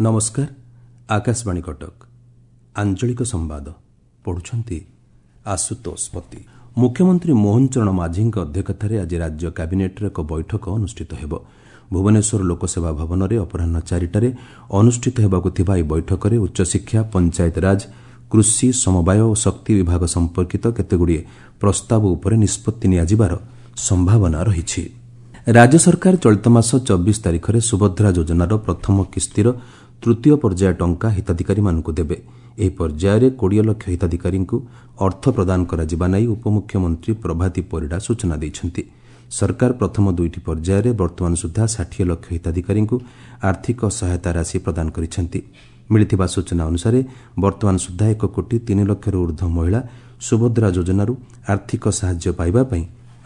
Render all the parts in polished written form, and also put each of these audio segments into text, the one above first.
ନମସ୍କାର, ଆକାଶବାଣୀ କଟକ। ଆଞ୍ଚଳିକ ସମ୍ବାଦ ପଢୁଛନ୍ତି ଆଶୁତୋଷ ପତି। ମୁଖ୍ୟମନ୍ତ୍ରୀ ମୋହନ ଚରଣ ମାଝୀଙ୍କ ଅଧ୍ୟକ୍ଷତାରେ ଆଜି ରାଜ୍ୟ କ୍ୟାବିନେଟ୍ର ଏକ ବୈଠକ ଅନୁଷ୍ଠିତ ହେବ। ଭୁବନେଶ୍ୱର ଲୋକସେବା ଭବନରେ ଅପରାହ୍ନ 4ଟାରେ ଅନୁଷ୍ଠିତ ହେବାକୁ ଥିବା ଏହି ବୈଠକରେ ଉଚ୍ଚଶିକ୍ଷା, ପଞ୍ଚାୟତରାଜ, କୃଷି, ସମବାୟ ଓ ଶକ୍ତି ବିଭାଗ ସମ୍ପର୍କିତ କେତେଗୁଡ଼ିଏ ପ୍ରସ୍ତାବ ଉପରେ ନିଷ୍ପତ୍ତି ନିଆଯିବାର ସମ୍ଭାବନା ରହିଛି। ରାଜ୍ୟ ସରକାର ଚଳିତ ମାସ 24 ତାରିଖରେ ସୁଭଦ୍ରା ଯୋଜନାର ପ୍ରଥମ କିସ୍ତିର ତୃତୀୟ ପର୍ଯ୍ୟାୟ ଟଙ୍କା ହିତାଧିକାରୀମାନଙ୍କୁ ଦେବେ। ଏହି ପର୍ଯ୍ୟାୟରେ 20 ଲକ୍ଷ ହିତାଧିକାରୀଙ୍କୁ ଅର୍ଥ ପ୍ରଦାନ କରାଯିବା ନେଇ ଉପମୁଖ୍ୟମନ୍ତ୍ରୀ ପ୍ରଭାତୀ ପରିଡ଼ା ସୂଚନା ଦେଇଛନ୍ତି। ସରକାର ପ୍ରଥମ ଦୁଇଟି ପର୍ଯ୍ୟାୟରେ ବର୍ତ୍ତମାନ ସୁଦ୍ଧା 60 ଲକ୍ଷ ହିତାଧିକାରୀଙ୍କୁ ଆର୍ଥିକ ସହାୟତା ରାଶି ପ୍ରଦାନ କରିଛନ୍ତି। ମିଳିଥିବା ସୂଚନା ଅନୁସାରେ ବର୍ତ୍ତମାନ ସୁଦ୍ଧା 1 କୋଟି 3 ଲକ୍ଷରୁ ଉର୍ଦ୍ଧ୍ୱ ମହିଳା ସୁଭଦ୍ରା ଯୋଜନାରୁ ଆର୍ଥିକ ସାହାଯ୍ୟ ପାଇବା ପାଇଁ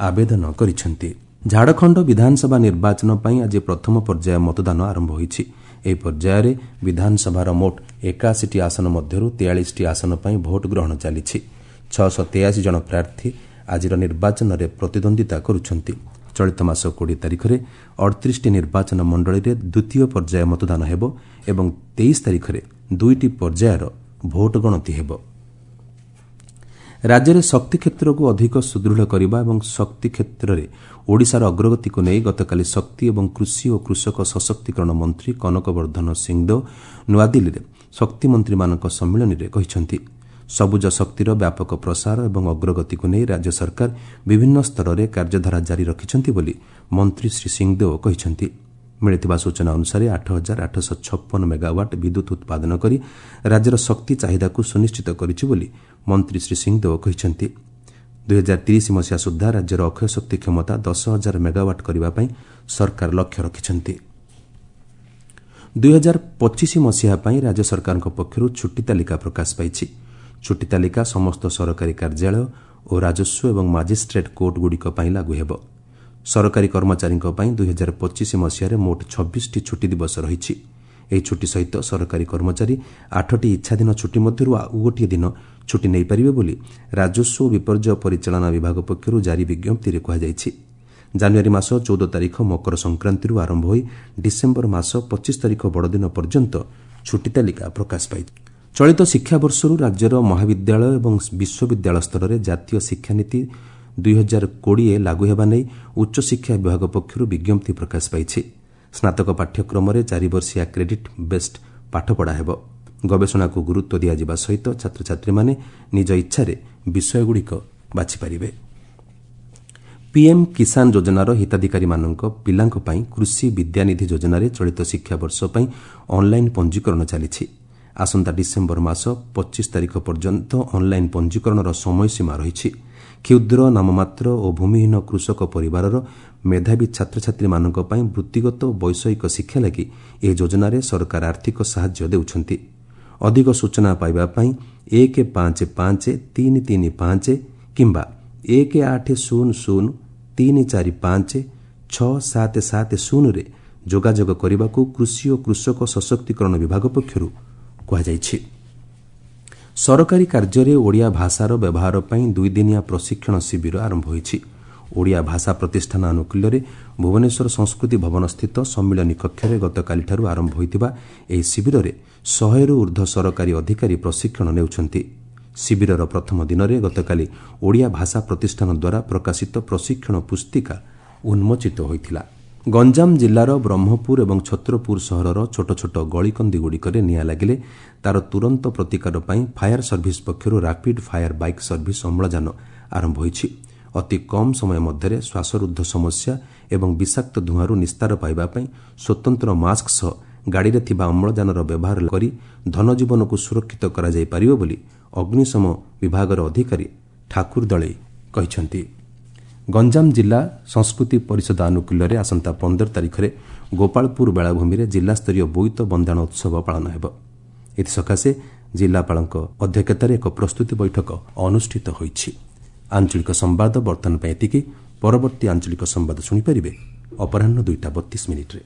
ଆବେଦନ କରିଛନ୍ତି। ଝାଡ଼ଖଣ୍ଡ ବିଧାନସଭା ନିର୍ବାଚନ ପାଇଁ ଆଜି ପ୍ରଥମ ପର୍ଯ୍ୟାୟ ମତଦାନ ଆରମ୍ଭ ହୋଇଛି। ଏହି ପର୍ଯ୍ୟାୟରେ ବିଧାନସଭାର ମୋଟ 81ଟି ଆସନ ମଧ୍ୟରୁ 43ଟି ଆସନ ପାଇଁ ଭୋଟ ଗ୍ରହଣ ଚାଲିଛି। 683 ଜଣ ପ୍ରାର୍ଥୀ ଆଜିର ନିର୍ବାଚନରେ ପ୍ରତିଦ୍ୱନ୍ଦିତା କରୁଛନ୍ତି। ଚଳିତ ମାସ 20 ତାରିଖରେ 38ଟି ନିର୍ବାଚନ ମଣ୍ଡଳୀରେ ଦ୍ୱିତୀୟ ପର୍ଯ୍ୟାୟ ମତଦାନ ହେବ ଏବଂ 23 ତାରିଖରେ ଦୁଇଟି ପର୍ଯ୍ୟାୟର ଭୋଟ ଗଣତି ହେବ। ରାଜ୍ୟରେ ଶକ୍ତି କ୍ଷେତ୍ରକୁ ଅଧିକ ସୁଦୃଢ଼ କରିବା ଏବଂ ଶକ୍ତି କ୍ଷେତ୍ରରେ ଓଡ଼ିଶାର ଅଗ୍ରଗତିକୁ ନେଇ ଗତକାଲି ଶକ୍ତି ଏବଂ କୃଷି ଓ କୃଷକ ସଶକ୍ତିକରଣ ମନ୍ତ୍ରୀ କନକ ବର୍ଦ୍ଧନ ସିଂଦେଓ ନୂଆଦିଲ୍ଲୀରେ ଶକ୍ତିମନ୍ତ୍ରୀମାନଙ୍କ ସମ୍ମିଳନୀରେ କହିଛନ୍ତି। ସବୁଜ ଶକ୍ତିର ବ୍ୟାପକ ପ୍ରସାର ଏବଂ ଅଗ୍ରଗତିକୁ ନେଇ ରାଜ୍ୟ ସରକାର ବିଭିନ୍ନ ସ୍ତରରେ କାର୍ଯ୍ୟଧାରା ଜାରି ରଖିଛନ୍ତି ବୋଲି ମନ୍ତ୍ରୀ ଶ୍ରୀ ସିଂଦେଓ କହିଛନ୍ତି। ମିଳିଥିବା ସୂଚନା ଅନୁସାରେ 8856 ମେଗାୱାଟ୍ ବିଦ୍ୟୁତ୍ ଉତ୍ପାଦନ କରି ରାଜ୍ୟର ଶକ୍ତି ଚାହିଦାକୁ ସୁନିଶ୍ଚିତ କରିଛି ବୋଲି ମନ୍ତ୍ରୀ ଶ୍ରୀ ସିଂଦେଓ କହିଛନ୍ତି। 2030 ମସିହା ସୁଦ୍ଧା ରାଜ୍ୟର ଅକ୍ଷୟ ଶକ୍ତି କ୍ଷମତା 10,000 ମେଗାୱାଟ୍ କରିବା ପାଇଁ ସରକାର ଲକ୍ଷ୍ୟ ରଖିଛନ୍ତି। 2025 ମସିହା ପାଇଁ ରାଜ୍ୟ ସରକାରଙ୍କ ପକ୍ଷରୁ ଛୁଟି ତାଲିକା ପ୍ରକାଶ ପାଇଛି। ଛୁଟି ତାଲିକା ସମସ୍ତ ସରକାରୀ କାର୍ଯ୍ୟାଳୟ ଓ ରାଜସ୍ୱ ଏବଂ ମାଜିଷ୍ଟ୍ରେଟ୍ କୋର୍ଟଗୁଡ଼ିକ ପାଇଁ ଲାଗୁ ହେବ। ସରକାରୀ କର୍ମଚାରୀଙ୍କ ପାଇଁ 2025 ମସିହାରେ ମୋଟ 26ଟି ଛୁଟି ଦିବସ ରହିଛି। ଏହି ଛୁଟି ସହିତ ସରକାରୀ କର୍ମଚାରୀ 8ଟି ଇଚ୍ଛାଧୀନ ଛୁଟି ମଧ୍ୟରୁ ଆଉ ଗୋଟିଏ ଦିନ ଛୁଟି ନେଇପାରିବେ ବୋଲି ରାଜସ୍ୱ ଓ ବିପର୍ଯ୍ୟୟ ପରିଚାଳନା ବିଭାଗ ପକ୍ଷରୁ ଜାରି ବିଜ୍ଞପ୍ତିରେ କୁହାଯାଇଛି। ଜାନୁଆରୀ ମାସ 14 ତାରିଖ ମକର ସଂକ୍ରାନ୍ତିରୁ ଆରମ୍ଭ ହୋଇ ଡିସେମ୍ବର ମାସ 25 ତାରିଖ ବଡ଼ଦିନ ପର୍ଯ୍ୟନ୍ତ ଛୁଟି ତାଲିକା ପ୍ରକାଶ ପାଇଛି। ଚଳିତ ଶିକ୍ଷାବର୍ଷରୁ ରାଜ୍ୟର ମହାବିଦ୍ୟାଳୟ ଏବଂ ବିଶ୍ୱବିଦ୍ୟାଳୟ ସ୍ତରରେ ଜାତୀୟ ଶିକ୍ଷାନୀତି 2020 ଲାଗୁ ହେବା ନେଇ ଉଚ୍ଚଶିକ୍ଷା ବିଭାଗ ପକ୍ଷରୁ ବିଜ୍ଞପ୍ତି ପ୍ରକାଶ ପାଇଛି। ସ୍ନାତକ ପାଠ୍ୟକ୍ରମରେ 4 ବର୍ଷିଆ କ୍ରେଡିଟ୍ ବେସ୍ଡ ପାଠପଢ଼ା ହେବ। ଗବେଷଣାକୁ ଗୁରୁତ୍ୱ ଦିଆଯିବା ସହିତ ଛାତ୍ରଛାତ୍ରୀମାନେ ନିଜ ଇଚ୍ଛାରେ ବିଷୟଗୁଡ଼ିକ ବାଛିପାରିବେ। ପିଏମ୍ କିଷାନ ଯୋଜନାର ହିତାଧିକାରୀମାନଙ୍କ ପିଲାଙ୍କ ପାଇଁ କୃଷି ବିଦ୍ୟାନିଧି ଯୋଜନାରେ ଚଳିତ ଶିକ୍ଷାବର୍ଷ ପାଇଁ ଅନ୍ଲାଇନ୍ ପଞ୍ଜୀକରଣ ଚାଲିଛି। ଆସନ୍ତା ଡିସେମ୍ବର ମାସ 25 ତାରିଖ ପର୍ଯ୍ୟନ୍ତ ଅନ୍ଲାଇନ୍ ପଞ୍ଜୀକରଣର ସମୟସୀମା ରହିଛି। କ୍ଷୁଦ୍ର, ନାମମାତ୍ର ଓ ଭୂମିହୀନ କୃଷକ ପରିବାରର ମେଧାବୀ ଛାତ୍ରଛାତ୍ରୀମାନଙ୍କ ପାଇଁ ବୃତ୍ତିଗତ ଓ ବୈଷୟିକ ଶିକ୍ଷା ଲାଗି ଏହି ଯୋଜନାରେ ସରକାର ଆର୍ଥିକ ସାହାଯ୍ୟ ଦେଉଛନ୍ତି। ଅଧିକ ସୂଚନା ପାଇବା ପାଇଁ 1 5 5 3 3 5 କିମ୍ବା 1 8 0 0 3 4 5 6 7 7 0ରେ ଯୋଗାଯୋଗ କରିବାକୁ କୃଷି ଓ କୃଷକ ସଶକ୍ତିକରଣ ବିଭାଗ ପକ୍ଷରୁ କୁହାଯାଇଛି। ସରକାରୀ କାର୍ଯ୍ୟରେ ଓଡ଼ିଆ ଭାଷାର ବ୍ୟବହାର ପାଇଁ ଦୁଇଦିନିଆ ପ୍ରଶିକ୍ଷଣ ଶିବିର ଆରମ୍ଭ ହୋଇଛି। ଓଡ଼ିଆ ଭାଷା ପ୍ରତିଷ୍ଠାନ ଆନୁକୂଲ୍ୟରେ ଭୁବନେଶ୍ୱର ସଂସ୍କୃତି ଭବନସ୍ଥିତ ସମ୍ମିଳନୀ କକ୍ଷରେ ଗତକାଲିଠାରୁ ଆରମ୍ଭ ହୋଇଥିବା ଏହି ଶିବିରରେ 100ରୁ ଉର୍ଦ୍ଧ୍ୱ ସରକାରୀ ଅଧିକାରୀ ପ୍ରଶିକ୍ଷଣ ନେଉଛନ୍ତି। ଶିବିରର ପ୍ରଥମ ଦିନରେ ଗତକାଲି ଓଡ଼ିଆ ଭାଷା ପ୍ରତିଷ୍ଠାନ ଦ୍ୱାରା ପ୍ରକାଶିତ ପ୍ରଶିକ୍ଷଣ ପୁସ୍ତିକା ଉନ୍ମୋଚିତ ହୋଇଥିଲା। ଗଞ୍ଜାମ ଜିଲ୍ଲାର ବ୍ରହ୍ମପୁର ଏବଂ ଛତ୍ରପୁର ସହରର ଛୋଟ ଛୋଟ ଗଳିକନ୍ଦିଗୁଡ଼ିକରେ ନିଆଁ ଲାଗିଲେ ତା'ର ତୁରନ୍ତ ପ୍ରତିକାର ପାଇଁ ଫାୟାର ସର୍ଭିସ୍ ପକ୍ଷରୁ ରାପିଡ୍ ଫାୟାର ବାଇକ୍ ସର୍ଭିସ୍ ଅମ୍ଳଜାନ ଆରମ୍ଭ ହୋଇଛି। ଅତି କମ୍ ସମୟ ମଧ୍ୟରେ ଶ୍ୱାସରୁଦ୍ଧ ସମସ୍ୟା ଏବଂ ବିଷାକ୍ତ ଧୂଆଁରୁ ନିସ୍ତାର ପାଇବା ପାଇଁ ସ୍ୱତନ୍ତ୍ର ମାସ୍କ ସହ ଗାଡ଼ିରେ ଥିବା ଅମ୍ଳଜାନର ବ୍ୟବହାର କରି ଧନଜୀବନକୁ ସୁରକ୍ଷିତ କରାଯାଇପାରିବ ବୋଲି ଅଗ୍ନିଶମ ବିଭାଗର ଅଧିକାରୀ ଠାକୁର ଦଳେଇ କହିଛନ୍ତି। ଗଞ୍ଜାମ ଜିଲ୍ଲା ସଂସ୍କୃତି ପରିଷଦ ଆନୁକୂଲ୍ୟରେ ଆସନ୍ତା 15 ତାରିଖରେ ଗୋପାଳପୁର ବେଳାଭୂମିରେ ଜିଲ୍ଲାସ୍ତରୀୟ ବୋଇତ ବନ୍ଦାଣ ଉତ୍ସବ ପାଳନ ହେବ। ଏଥିସକାଶେ ଜିଲ୍ଲାପାଳଙ୍କ ଅଧ୍ୟକ୍ଷତାରେ ଏକ ପ୍ରସ୍ତୁତି ବୈଠକ ଅନୁଷ୍ଠିତ ହୋଇଛି। ଆଞ୍ଚଳିକ ସମ୍ବାଦ ବର୍ତ୍ତମାନ ପାଇଁ ଏତିକି। ପରବର୍ତ୍ତୀ ଆଞ୍ଚଳିକ ସମ୍ବାଦ ଶୁଣିପାରିବେ ଅପରାହ୍ନ 2ଟା 32 ମିନିଟ୍ରେ।